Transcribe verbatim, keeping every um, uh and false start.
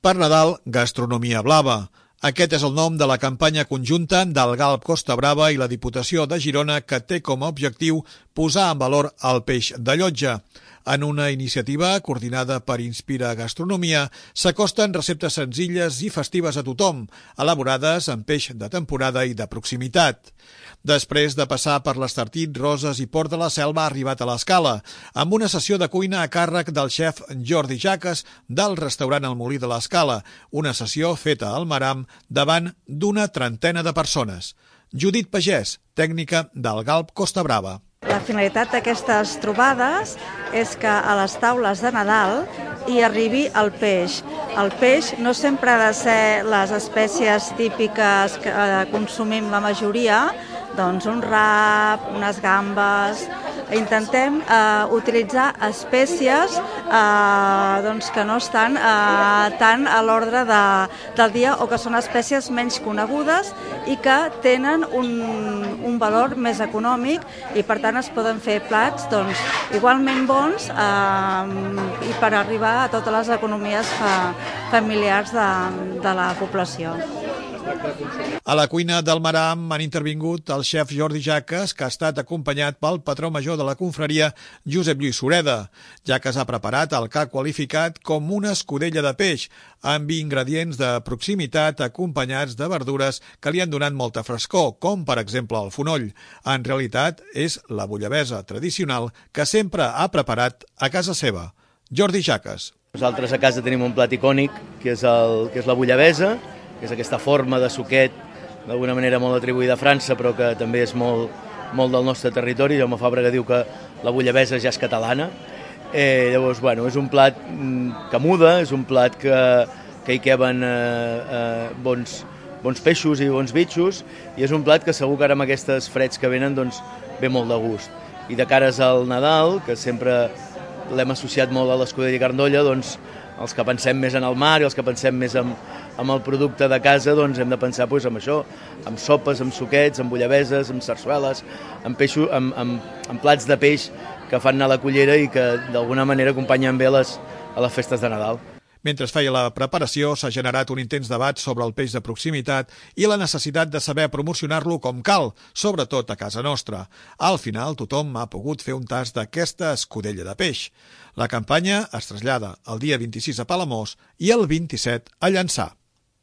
Per Nadal, gastronomia blava. Aquest és el nom de la campanya conjunta del Galp Costa Brava i la Diputació de Girona, que té com a objectiu posar en valor el peix de llotja. En una iniciativa coordinada per Inspira Gastronomia, s'acosten receptes senzilles i festives a tothom, elaborades amb peix de temporada i de proximitat. Després de passar per l'Estartit, Roses i Port de la Selva, ha arribat a l'Escala, amb una sessió de cuina a càrrec del xef Jordi Jaques del restaurant El Molí de l'Escala, una sessió feta al Maram davant d'una trentena de persones. Judit Pagès, tècnica del Galp Costa Brava. La finalitat d'aquestes trobades és que a les taules de Nadal hi arribi el peix. El peix no sempre ha de ser les espècies típiques que consumim la majoria, doncs un rap, unes gambes. Intentem eh, utilitzar espècies eh, doncs que no estan eh, tant a l'ordre de, del dia o que són espècies menys conegudes i que tenen un, un valor més econòmic i per tant es poden fer plats doncs, igualment bons eh, i per arribar a totes les economies fa, familiars de, de la població. A la cuina del Maram han intervingut el xef Jordi Jaques, que ha estat acompanyat pel patró major de la confraria, Josep Lluís Sureda. Jaques ha preparat el que ha qualificat com una escudella de peix, amb ingredients de proximitat acompanyats de verdures que li han donat molta frescor, com per exemple el fonoll. En realitat és la bullabessa tradicional que sempre ha preparat a casa seva. Jordi Jaques. Nosaltres a casa tenim un plat icònic, que és, el, que és la bullabessa, que és aquesta forma de suquet, d'alguna manera molt atribuïda a França, però que també és molt, molt del nostre territori. Jaume Fàbrega diu que la bullabessa ja és catalana. Eh, llavors, bueno, és un plat que muda, és un plat que, que hi queben eh, eh, bons, bons peixos i bons bitxos, i és un plat que segur que ara amb aquestes freds que venen doncs, ve molt de gust. I de cares al Nadal, que sempre l'hem associat molt a l'escudella i carn d'olla, doncs els que pensem més en el mar i els que pensem més en, en el producte de casa, doncs hem de pensar doncs, en això, amb sopes, amb suquets, amb bullabeses, amb sarsueles, amb, peixo, amb, amb, amb plats de peix que fan anar a la cullera i que d'alguna manera acompanyen bé les, a les festes de Nadal. Mentre es feia la preparació, s'ha generat un intens debat sobre el peix de proximitat i la necessitat de saber promocionar-lo com cal, sobretot a casa nostra. Al final, tothom ha pogut fer un tast d'aquesta escudella de peix. La campanya es trasllada el dia vint-i-sis a Palamós i el vint-i-set a Llançà.